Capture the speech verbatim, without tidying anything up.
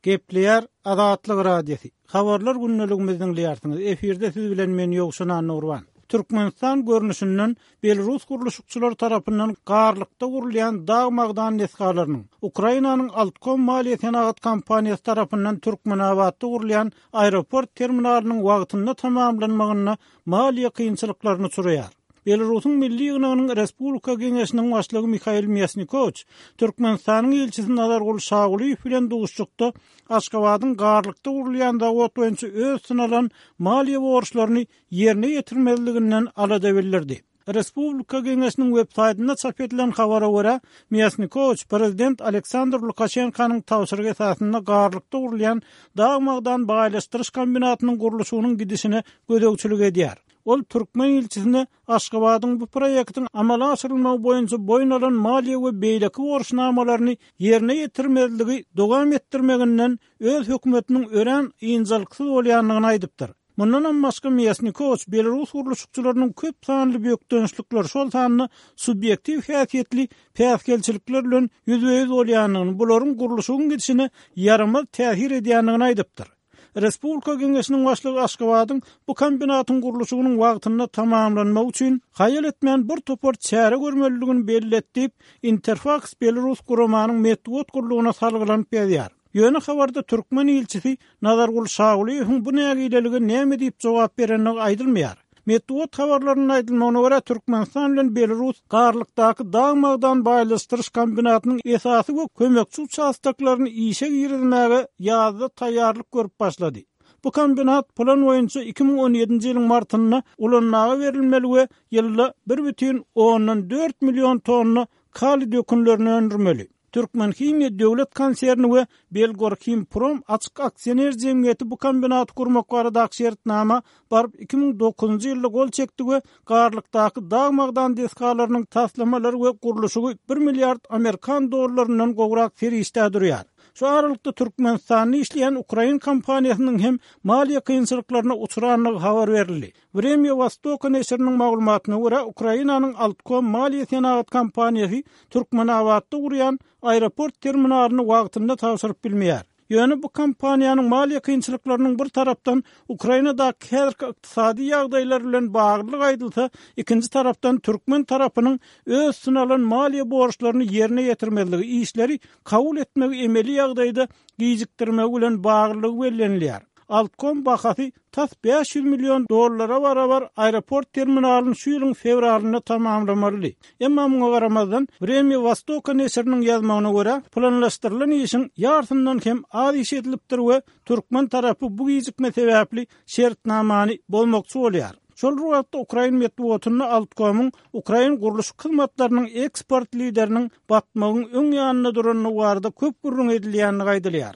Gepleýär Azatlyk Radiosy. Habarlar gündeligimizi diňleýärsiňiz. Efirde siz bilen men Ýowşan Annagurban. Türkmenistan görnüşinden Belarus gurluşykçylary tarapyndan Garlykda gurulýan dag magdan desgalarynyň, Ukrainanyň Altkom maliýe senagat kompaniýasy tarapyndan Türkmenabatda gurulýan aeroport terminalynyň wagtynda tamamlanmagynda maliýe kynçylyklaryny uçraýar. Belarusyň Milli ýygnagynyň Respublika Geňeşiniň başlygy Mihail Mýasnikowiç Türkmenistanyň ilçisi Nazarguly Şagulyýew bilen duşuşykda Aşgabadyň Garlykda gurulýan zawod boýunça öz üstüne alan maliýe borçlaryny ýerine ýetirmezliginden alada bildirdi. Respublika Geňeşiniň web saýtynda çap edilen habara görä, Mýasnikowiç prezident Aleksandr Lukaşenkanyň tabşyrygy esasynda Garlykda gurulýan dag-magdan baýlaşdyryş kombinatynyň gurluşygynyň gidişine gözegçilik edýär. Ol türkmen ilçisine Aşgabadyň bu proýektiň amala aşyrylmagy boýunça boýun alan maliýe we beýleki borçnamalaryny ýerine ýetirmezligi dowam etdirmeginden öz hökümetiniň örän ynjalyksyz bolýandygyny aýdypdyr. Mundanam başga Mýasnikowiç belarus gurluşykçylarynyň köp sanly bökdençlikler, şol sanda subýektiw häsiýetli päsgelçilikler bilen ýüzbe-ýüz bolýandygyny, bularyň gurluşygyň gidişine ýaramaz täsir edýändigini aýdypdyr. Respublika Geňeşiniň başlygy Aşgabadyň bu kombinatyň gurluşygynyň wagtynda tamamlanmagy üçin haýal etmän bir topar çäre görmelidigini belledi diýip, Interfaks belarus guramanyň metbugat gullugyna salgylanyp ýazýar. Ýöne habarda türkmen ilçisi Nazarguly Şagulyýewiň bu nägilelige näme diýip jogap berendigi aýdylmaýar. Metbugat habarlarynda aýdylmagyna görä, Türkmenistan bilen Belarus Garlykdaky dag-magdan baýlaşdyryş kombinatynyň esasy we kömekçi uçastoklaryny işe girizmäge ýazda taýýarlyk görüp başlady. Bu kombinat plan boýunça iki müň on ýedinji ýylyň martynda ulanmaga berilmeli we ýylda bir bütin ondan dört million tonna kaliý dökünlerini öndürmeli. Türkmenhimiýa döwlet konserni we Belgorhimprom açyk aksioner jemgyýeti bu kombinaty gurmak baradaky şertnama baryp iki müň dokuzynjy ýylda gol çekdi we Garlykdaky dag-magdan desgalarynyň taslamalary we gurluşygy bir milliard amerikan dollaryndan gowrak serişdä durýar. Şu aralykda Türkmenistanda işleýän ukrain kompaniýasynyň hem maliýe kynçylyklaryna uçrandygy habar berildi. Vremya Vostoka neşiriniň maglumatyna görä, Ukrainanyň Altkom maliýe senagat kompaniýasy Türkmenabatda gurýan aeroport terminalyny wagtynda tabşyryp bilmeýär. Ýöne bu kompaniýanyň maliýe kynçylyklarynyň bir tarapdan Ukrainadaky häzirki ykdysady ýagdaýlar bilen baglylygy aýdylsa, ikinji tarapdan türkmen tarapynyň öz üstüne alan maliýe borçlaryny ýerine ýetirmezligi, işleri kabul etmegi emeli ýagdaýda gijikdirmegi bilen baglylygy bellenilýär. Altkom bahasy tas bäş ýüz million dollara barabar aeroport terminalyny şu ýylyň fewralynda tamamlamalydy. Emma muňa garamazdan, Vremya Vostoka neşiriniň ýazmagyna görä, planlaşdyrylan işiň ýarysyndan hem az iş edilipdir we türkmen tarapy bu gijikme sebäpli şertnamany bozmakçy bolýar. Şol bir wagtda ukrain metbugatynda Altkomyň ukrain gurluşyk hyzmatlarynyň eksport lideriniň batmagyň öň ýanynda durandygy barada köp gürrüň edilýändigi aýdylýar.